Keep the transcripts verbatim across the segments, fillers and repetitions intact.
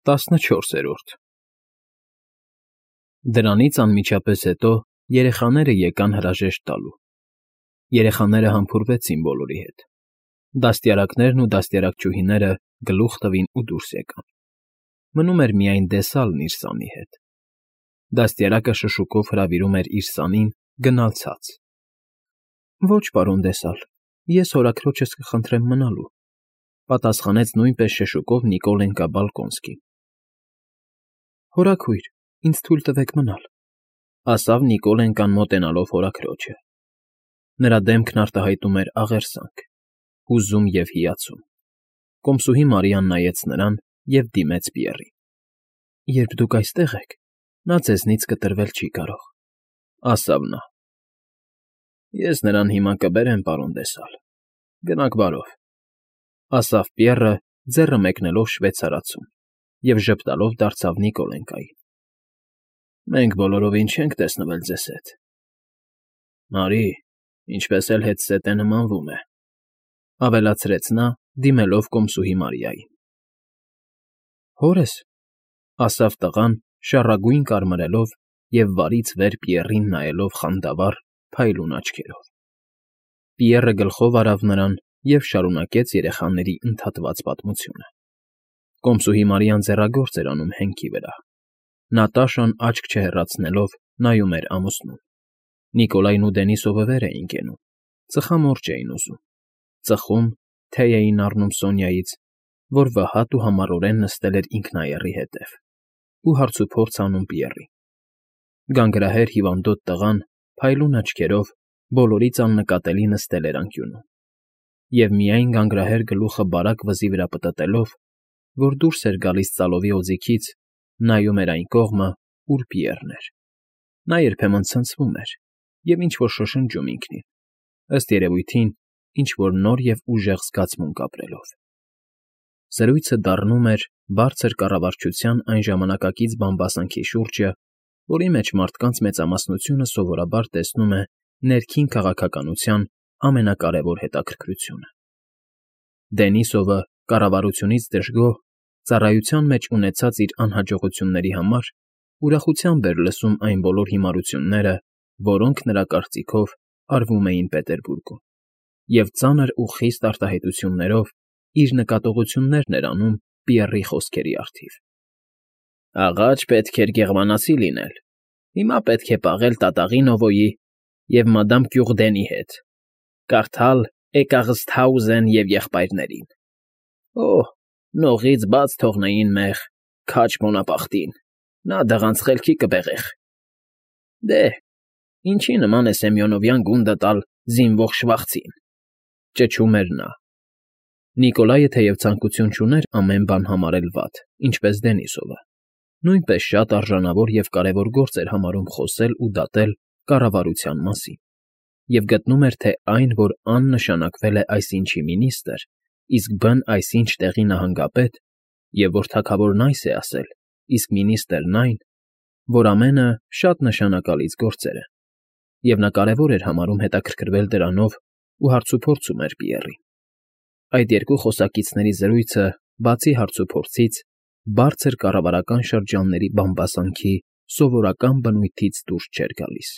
Տասնչորսերորդ Դրանից անմիջապես հետո երեխաները եկան հրաժեշտ տալու. երեխաները համբուրվեցին բոլորի հետ, դաստիարակներն ու դաստիարակչուհիները գլուխ տվին ու դուրս եկան, մնում էր միայն Դեսալն իր սանի հետ. դաստիարակը շշուկով հրավիրում էր իր սանին գնալ ցած. Ոչ, պարոն Դեսալ, ես հորաքրոջս կխնդրեմ մնալու, պատասխանեց նույնպես շշուկով Նիկոլենկա Բալկոնսկին. Հորաքույր, ինձ թույլ տվեք մնալ, ասավ Նիկոլենկան մոտենալով հորաքրոջը. նրա դեմքն արտահայտում էր աղերսանք, հուզում և հիացում. կոմսուհի Մարիան նայեց նրան և դիմեց Պիեռին. Երբ դուք այստեղ եք, նա ձեզնից կտրվել չի կարող, ասավ նա. Ես նրան հիմա կբերեմ, պարոն Դեսալ, գնաք բարով, ասավ Պիեռը, ձեռը մեկնելով շվեյցարացում, և ժպտալով դարձավ Նիկոլենկային. Մենք բոլորովին չենք տեսնվել ձեզ հետ։ Մարի, ինչպես էլ հետզհետե նմանվում է, ավելացրեց նա, դիմելով կոմսուհի Մարիային. Հորս, ասավ տղան, շառագույն կարմրելով և վարից վեր Պիեռին նայելով խանդավառ, փայլուն աչքերով։ Պիեռը գլխով արավ նրան և շարունակեց երեխաների ընդհատված պատմությունը. Կոմսուհի Մարիան ձեռագործ էր անում հենքի վրա. Նատաշան աչք չհեռացնելով նայում էր ամուսնուն. Նիկոլայն ու Դենիսովը վեր էին կենում, ծխամորճ էին ուզում, ծխում, թեյ էին առնում Սոնյայից, որ վհատ ու համառորեն նստել էր ինքնաեռի հետև, ու հարցուփորձ անում Պիեռին. Գանգրահեր հիվանդոտ տղան, փայլուն աչքերով, բոլորից աննկատելի նստել էր անկյունում, և միայն գանգրահեր գլուխը բարակ վզի վրա պտտելով, որ դուրս էր գալիս ծալովի օձիքից, նայում էր այն կողմը, ուր Պիեռն էր. նա երբեմն ցնցվում էր և ինչ֊որ շշնջում ինքնին, ըստ երևույթին, ինչ֊որ նոր և ուժեղ զգացմունք ապրելով։ Զրույցը դառնում էր բարձր կառավարչության այն ժամանակակից բամբասանքի շուրջը, որի մեջ մարդկանց մեծամասնությունը սովորաբար տեսնում է ներքին քաղաքականության ամենակարևոր հետաքրքրությունը։ Դենիսովը կառավարությունից դժգոհ, ծառայության մեջ ունեցած իր անհաջողությունների համար ուրախությամբ էր լսում այն բոլոր հիմարությունները, որոնք նրա կարծիքով արվում էին Պետերբուրգում, և ծանր ու խիստ արտահայտություններով իր նկատողություններն էր անում Պիեռի խոսքերի առթիվ. Աղաջ պետք էր գեղմանացի լինել, հիմա պետք է պաղել տատաղի Նովոյի և մադամ Կյուղդենի հետ, կարդալ Էկաղսթհաուզեն և եղբայրներին։ Օհ, նողից բաց թողնեին մեղ, քաջ Բոնապարտին, նա դղանց խելքի կբեղեղ։ Դե, ինչի նման է Սեմյոնովյան գունդը տալ զինվող շվախցին, ճչում էր նա։ Նիկոլայը թեև ցանկություն չուներ ամեն բան համարել վատ, ինչպես Դենիսովը, նույնպես շատ արժանավոր և կարևոր գործ էր համարում խոսել ու դատել կառավարության մասին, և գտնում էր, թե այն, որ Ան նշանակվել է այսինչի մինիստր, իսկ Բ֊ն այսինչ տեղի նահանգապետ, և որ թագավորն այս է ասել, իսկ մինիստրն այն, որ ամենը շատ նշանակալից գործեր են, և նա կարևոր էր համարում հետաքրքրվել դրանով ու հարցուփորձում էր Պիեռին։ Այդ երկու խոսակիցների զրույցը, բացի հարցուփորձից, բարձր կառավարական շրջանների բամբասանքի սովորական բնույթից դուրս չէր գալիս։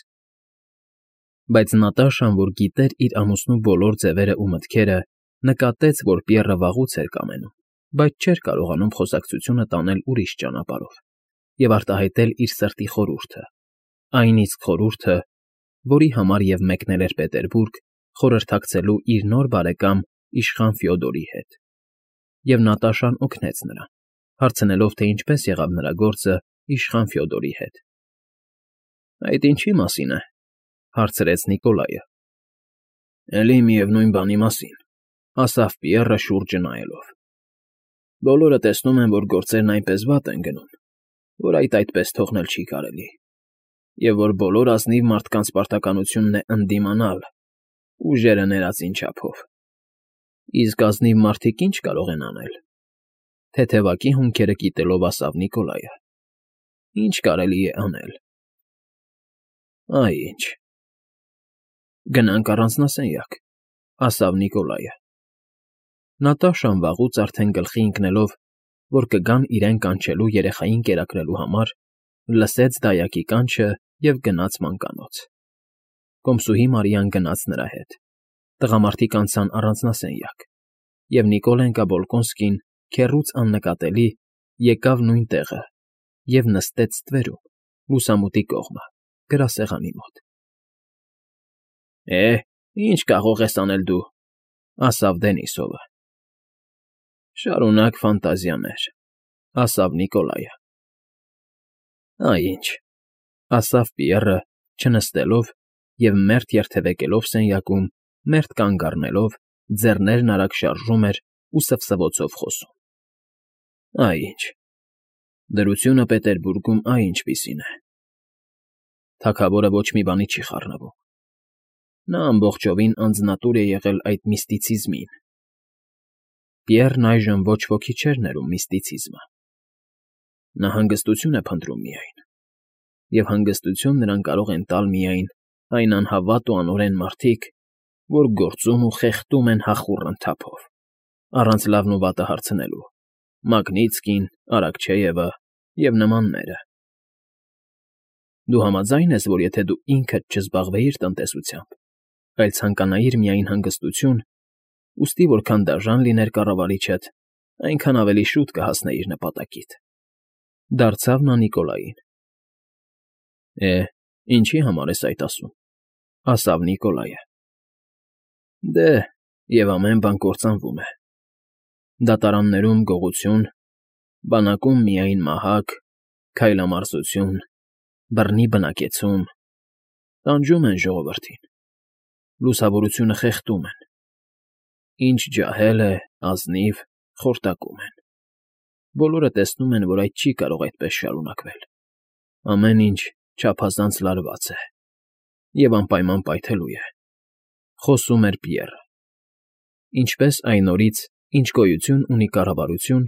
Բայց Նատաշան, որ գիտեր իր ամուսնու բոլոր ձևերն ու մտքերը, նկատեց, որ Պիեռը վաղուց էր կամենում, բայց չէր կարողանում խոսակցությունը տանել ուրիշ ճանապարհով և արտահայտել իր սրտի խորհուրդը, այն իսկ խորհուրդը, որի համար և մեկնել էր Պետերբուրգ խորհրդակցելու իր նոր բարեկամ իշխան Ֆյոդորի հետ։ Եվ Նատաշան օգնեց նրան, հարցնելով, թե ինչպես եղավ նրա գործը իշխան Ֆյոդորի հետ։ Այդ ինչի մասին է, հարցրեց Նիկոլայը։ Էլի միևնույն բանի մասին, ասավ Պիեռը շուրջը նայելով։ Բոլորը տեսնում են, որ գործերն այնպես վատ են գնում, որ այդ այդպես թողնել չի կարելի, և որ բոլոր ազնիվ մարդկանց պարտականությունն է ընդդիմանալ, ուժերը ներածին չափով։ Իսկ ազնիվ մարդիկ ի՞նչ կարող են անել, թեթևակի հոնքերը կիտելով ասավ Նիկոլայը։ Ի՞նչ կարելի է անել։ Այ ինչ։ Գնանք առանձնասենյակ, ասավ Նիկոլայը։ Նատաշան վաղուց արդեն գլխի ընկնելով, որ կգան իրեն կանչելու երեխային կերակրելու համար, լսեց դայակի կանչը և գնաց մանկանոց։ Կոմսուհի Մարիան գնաց նրա հետ, տղամարդիկ անցան առանձնասենյակ, և Նիկոլենկա Բոլկոնսկին, քեռուց աննկատելի, եկավ նույն տեղը և նստեց ստվերում, լուսամուտի կողմը, գրասեղանի մոտ։ ֊ Է, ի՞նչ կարող ես անել դու,֊ ասավ Դենիսովը։ ֊ Շարունակ ֆանտազիաներ,֊ ասավ Նիկոլայը։ ֊ Այ ինչ,֊ ասավ Պիեռը, չնստելով և մերթ երթևեկելով սենյակում, մերթ կանգ առնելով, ձեռներն արագ շարժում էր ու սվսվոցով խոսում,֊ Այ ինչ, դրությունը Պետերբուրգում այ ինչպիսին է… Թագավորը ոչ մի բանի չի խառնվում. նա ամբողջովին անձնատուր է եղել այդ միստիցիզմին… Պիեռն այժմ ոչ ոքի չէր ներում միստիցիզմը. նա հանգստություն է փնտրում միայն, և հանգստություն նրան կարող են տալ միայն այն անհավատ ու անօրեն մարդիկ, որ գործում ու խեղդում են հախուռն թափով, առանց լավն ու վատը հարցնելու. Մագնիտսկին, Արաքչեևը և նմանները… Դու համաձա՞յն ես, որ եթե դու ինքդ չզբաղվեիր տնտեսությամբ, այլ ցանկանայիր միայն հանգստություն, ուստի որքան դաժան լիներ կառավարիչդ, այնքան ավելի շուտ կհասնեիր նպատակիդ,֊ դարձավ նա Նիկոլային։ ֊ Է, ինչի համար ես այդ ասում,֊ ասավ Նիկոլայը։ ֊ Դե, և ամեն բան կործանվում է. դատարաններում գողություն, բանակում միայն մահակ, քայլամարզություն, բռնի բնակեցում, տանջում են ժողովրդին, լուսավորությունը խեղդում են, ինչ ջահել է, ազնիվ, խորտակում են… Բոլորը տեսնում են, որ այդ չի կարող այդպես շարունակվել, ամեն ինչ չափազանց լարված է և անպայման պայթելու է,֊ խոսում էր Պիեռը։ Ինչպես այն օրից, ինչ գոյություն ունի կառավարություն,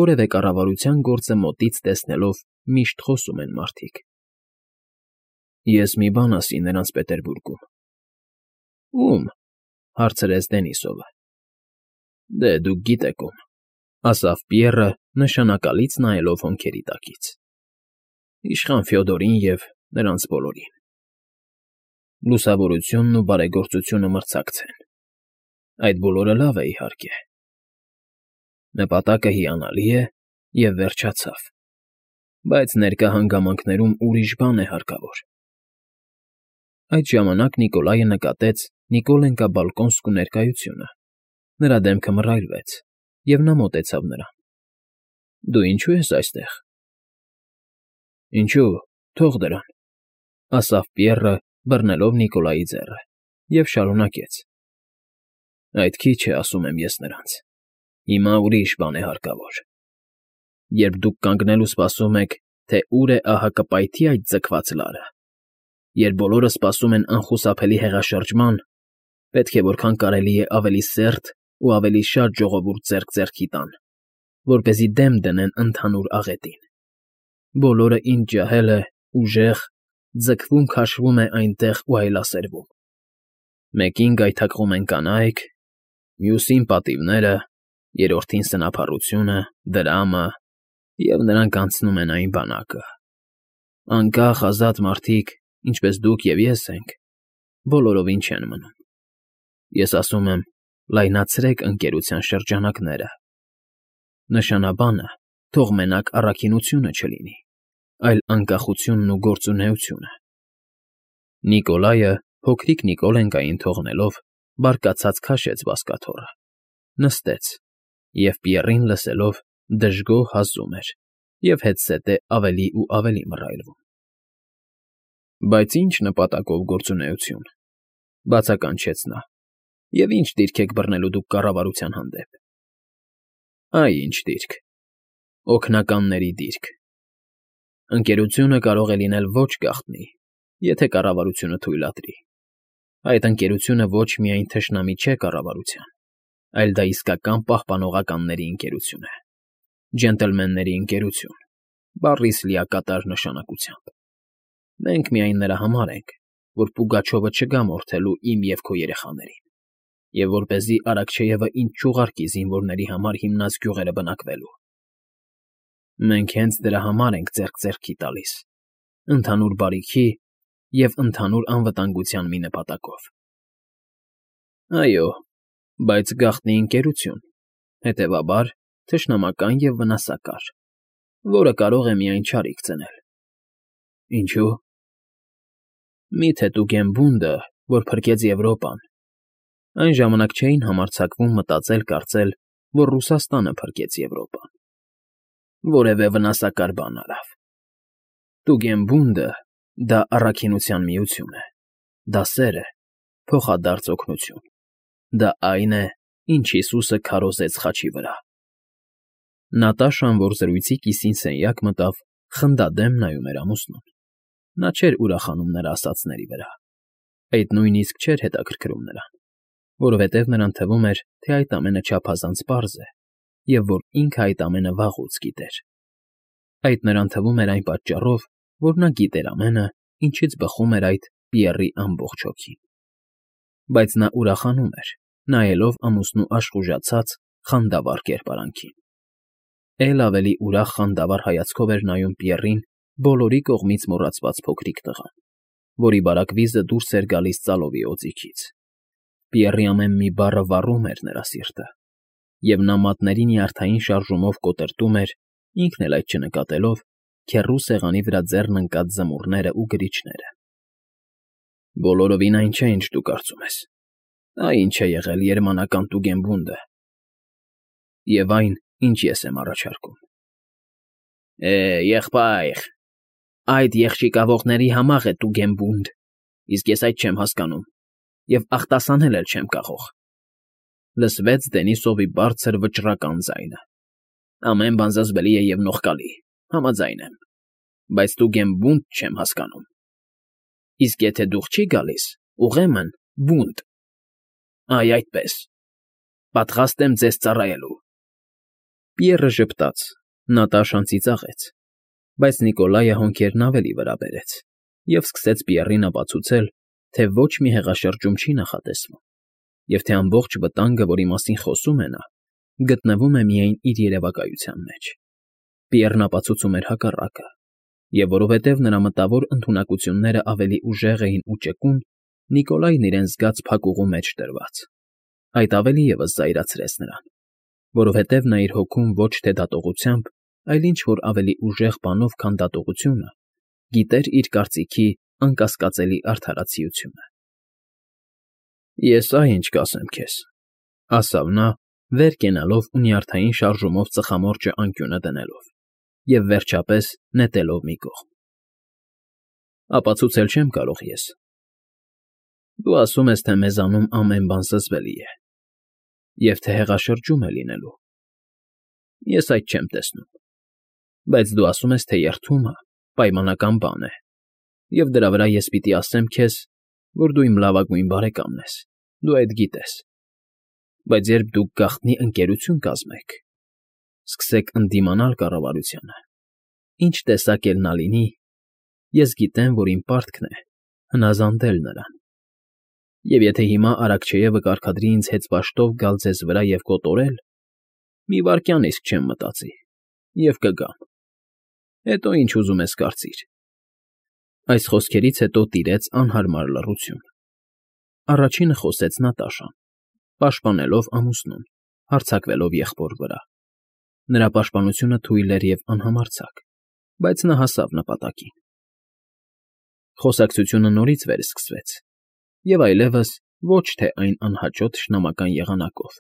որևէ կառավարության գործը մոտից տեսնելով միշտ խոսում են մարդիկ։ ֊ Ես մի բան ասի նրանց Պետերբուրգում։ ֊ Ո՞ւմ,֊ հարցրեց Դենիսովը։ ֊ Դե, դուք գիտեք ում,֊ ասավ Պիեռը, նշանակալից նայելով հոնքերի տակից։ ֊ Իշխան Ֆյոդորին և նրանց բոլորին… Լուսավորությունն ու բարեգործությունը մրցակցեն… Այդ բոլորը լավ է, իհարկե… Նպատակը հիանալի է և վերջացավ, բայց ներկա հանգամանքներում ուրիշ բան է հարկավոր… Այդ ժամանակ Նիկոլայը նկատեց Նիկոլենկա Բալկոնսկու ներկայությունը, նրա դեմքը մռայլվեց, և նա մոտեցավ նրան։ ֊ Դու ինչո՞ւ ես այստեղ։ ֊ Ինչո՞ւ, թող դրան,֊ ասավ Պիեռը, բռնելով Նիկոլայի ձեռը, և շարունակեց. ֊ Այդ քիչ է, ասում եմ ես նրանց, հիմա ուրիշ բան է հարկավոր… Երբ դուք կանգնել ու սպասում եք, թե ուր է ահա կպայթի այդ ձգված լարը, երբ բոլորը սպասում են անխուսափելի հեղաշրջման, պետք է որքան կարելի է ավելի սերտ ու ավելի շատ ժողովուրդ ձեռք ձեռքի տան, որպեսզի դեմ դնեն ընդհանուր աղետին… Բոլորը, ինչ ջահել է, ուժեղ, ձգվում֊քաշվում է այնտեղ ու այլասերվում… Մեկին գայթակղում են կանայք, մյուսին պատիվները, երրորդին սնափառությունը, դրամը, և նրանք անցնում են այն բանակը… Անկախ, ազատ մարդիկ, ինչպես դուք և ես ենք, բոլորովին չեն մնում… Ես ասում եմ, լայնացրեք ընկերության շրջանակները… Նշանաբանը թող մենակ առաքինությունը չլինի, այլ անկախությունն ու գործունեությունը… Նիկոլայը, փոքրիկ Նիկոլենկային թողնելով, բարկացած քաշեց բազկաթոռը, նստեց և, Պիեռին լսելով, դժգոհ հազում էր և հետզհետե ավելի ու ավելի մռայլվում։ ֊ Բայց ի՞նչ նպատակով գործունեություն,֊ բացականչեց նա,֊ և ի՞նչ դիրք եք բռնելու դուք կառավարության հանդեպ։ ֊ Այ ինչ դիրք… Օգնականների դիրք… Ընկերությունը կարող է լինել ոչ գաղտնի, եթե կառավարությունը թույլատրի… Այդ ընկերությունը ոչ միայն թշնամի չէ կառավարության, այլ դա իսկական պահպանողականների ընկերություն է, ջենտլմենների ընկերություն, բառիս լիակատար նշանակությամբ… Մենք միայն նրա համար ենք, որ Պուգաչովը չգա մորթելու իմ և քո երեխաներին, և որպեսզի Արաքչեևը ինձ չուղարկի զինվորների համար հիմնած գյուղերը բնակվելու… Մենք հենց դրա համար ենք ձեռք֊ձեռքի տալիս, ընդհանուր բարիքի և ընդհանուր անվտանգության մի նպատակով։ Այո, բայց գաղտնի ընկերություն, հետևաբար, թշնամական և վնասակար, որը կարող է միայն չարիք ծնել։ Ինչո՞ւ։ Մի՞թե Տուգենբունդը, որ փրկեց Եվրոպան, այն ժամանակ չէին համարձակվում մտածել֊կարծել, որ Ռուսաստանը փրկեց Եվրոպան, որևէ վնասակար բան արավ։ Տուգենբունդը դա առաքինության միություն է, դա սեր է, փոխադարձ օգնություն, դա այն է, ինչ Հիսուսը քարոզեց խաչի վրա։ Նատաշան, որ զրույցի կիսին սենյակ մտավ, խնդադեմ նայում էր ամուսնուն։ Նա չէր ուրախանում նրա ասածների վրա, այդ նույնիսկ չէր հետաքրքրում նրան, որովհետև նրան թվում էր, թե այդ ամենը չափազանց պարզ է, և որ ինքը այդ ամենը վաղուց գիտեր։ Այդ նրան թվում էր այն պատճառով, որ նա գիտեր ամենը, ինչից բխում էր այդ Պիեռի ամբողջ հոգին։ Բայց նա ուրախանում էր, նայելով ամուսնու աշխուժացած, խանդավառ կերպարանքին։ Էլ ավելի ուրախ խանդավառ հայացքով էր նայում Պիեռին բոլորի կողմից մոռացված փոքրիկ տղան, որի բարակ վիզը դուրս էր գալիս ծալովի օձիքից։ Պիեռի ամեն մի բառը վառում էր նրա սիրտը, և նա մատների նյարդային շարժումով կոտրտում էր, ինքն էլ այդ չնկատելով, քեռու սեղանի վրա ձեռն ընկած զմուռներն ու գրիչները։ Բոլորովին այն չէ, ինչ դու կարծում ես։ Այ ինչ է եղել երմանական Տուգենբունդը, և այն, ինչ ես եմ առաջարկում։ Է, եղբայր, այդ եղջիկավորների համախ է Տուգենբունդ, իսկ ես այդ չեմ հասկանում, և ախտասանել էլ չեմ կարող,֊ լսվեց Դենիսովի բարձր վճռական ձայնը։ Ամեն բան զզվելի է և նողկալի, համաձայն եմ, բայց Տուգենբունդ չեմ հասկանում։ Իսկ եթե դուխ չի գալիս, ուրեմն բունտ։ Այ այդպես, պատրաստ եմ ձեզ ծառայելու։ Պիեռը ժպտաց, Նատաշան ծիծաղեց, բայց Նիկոլայը հոնքերն ավելի վրա բերեց և սկսեց Պիեռին ապացուցել, թե ոչ մի հեղաշրջում չի նախատեսվում, և թե ամբողջ վտանգը, որի մասին խոսում է նա, գտնվում է միայն իր երևակայության մեջ։ Պիեռն ապացուցում էր հակառակը, և որովհետև նրա մտավոր ընդունակություններն ավելի ուժեղ էին ու ճկուն, Նիկոլայն իրեն զգաց փակուղու մեջ դրված։ Այդ ավելի ևս զայրացրեց նրան, որովհետև նա իր հոգում ոչ թե դատողությամբ, այլ ինչ֊որ ավելի ուժեղ բանով, քան դատողությունը, գիտեր իր կարծիքի անկասկածելի արդարացիությունը։ Ես ահա ինչ կասեմ քեզ,֊ ասավ նա, վեր կենալով ու նյարդային շարժումով ծխամորճը անկյունը դնելով և, վերջապես, նետելով մի կողմ։ Ապացուցել չեմ կարող ես։ Դու ասում ես, թե մեզանում ամեն բան զզվելի է, և թե հեղաշրջում է լինելու։ Ես այդ չեմ տեսնում։ Բայց դու ասում ես, թե երդումը պայմանական բան է, և դրա վրա ես պիտի ասեմ քեզ, որ դու իմ լավագույն բարեկամն ես, դու այդ գիտես։ Բայց երբ դուք գաղտնի ընկերություն կազմեք, սկսեք ընդդիմանալ կառավարությանը, ինչ տեսակ էլ նա լինի, ես գիտեմ, որ իմ պարտքն է հնազանդել նրան։ Եվ եթե հիմա Արաքչեևը կարգադրի ինձ հեծբաշտով գալ ձեզ վրա և կոտորել, մի վայրկյան իսկ չեմ մտածի, և կգամ։ Հետո ինչ ուզում ես կարծիր։ Այս խոսքերից հետո տիրեց անհարմար լռություն։ Առաջինը խոսեց Նատաշան, պաշտպանելով ամուսնուն, հարձակվելով եղբոր վրա։ Նրա պաշտպանությունը թույլ էր և անհամարձակ, բայց նա հասավ նպատակին։ Խոսակցությունը նորից վերսկսվեց, և այլևս ոչ թե այն անհաճո թշնամական եղանակով,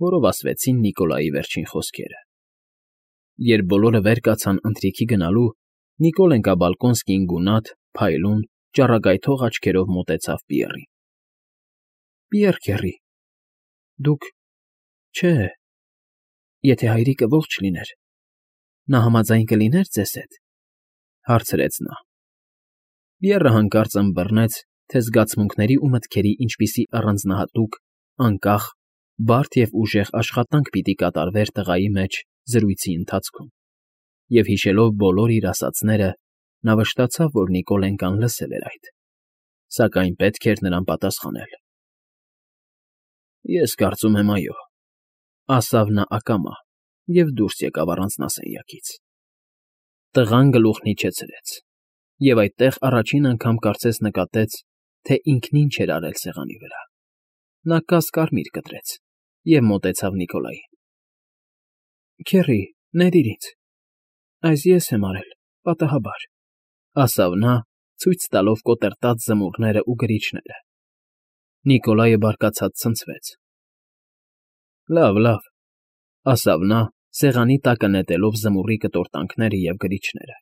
որով ասվեցին Նիկոլայի վերջին խոսքերը։ Երբ բոլորը վեր կացան ընթրիքի գնալու, Նիկոլենկա֊Բալկոնսկին գունատ, փայլուն, ճառագայթող աչքերով մոտեցավ Պիեռին։ ֊ Պիեռ քեռի, դուք… Չէ… Եթե հայրիկը ողջ լիներ, նա համաձայն կլիներ ձեզ հետ,֊ հարցրեց նա։ Պիեռը հանկարծ ըմբռնեց, թե զգացմունքների ու մտքերի ինչպիսի առանձնահատուկ, անկախ, բարդ և ուժեղ աշխատանք պիտի կատարվեր տղայի մեջ զրույցի ընթացքում, և, հիշելով բոլոր իր ասածները, նա վշտացավ, որ Նիկոլենկան լսել էր այդ, սակայն պետք էր նրան պատասխանել։ ֊ Ես կարծում եմ, այո,֊ ասավ նա ակամա և դուրս եկավ առանձնասենյակից։ Տղան գլուխն իջեցրեց և այդտեղ առաջին անգամ կարծես նկատեց, թե ինքն ինչ էր արել սեղանի վրա. նա կաս կարմիր կտրեց և մոտեցավ Նիկոլային։ ֊ Քեռի, ներիր ինձ, այս ես եմ արել, պատահաբար, ֊ ասավ նա, ցույց տալով կոտրտած զմուռներն ու գրիչները։ Նիկոլայը բարկացած ցնցվեց։ ֊ Լավ, լավ, ֊ ասավ նա, սեղանի տակը նետելով զմուռի կտորտանքները և գրիչները,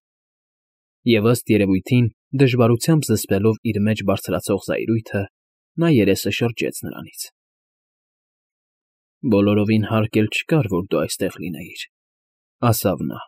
և, ըստ երևույթին, դժվարությամբ զսպելով իր մեջ բարձրացող զայրույթը, նա երեսը շրջեց նրանից։ ֊ Բոլորովին հարկ էլ չկար, որ դու այստեղ լինեիր, ֊ ասավ նա։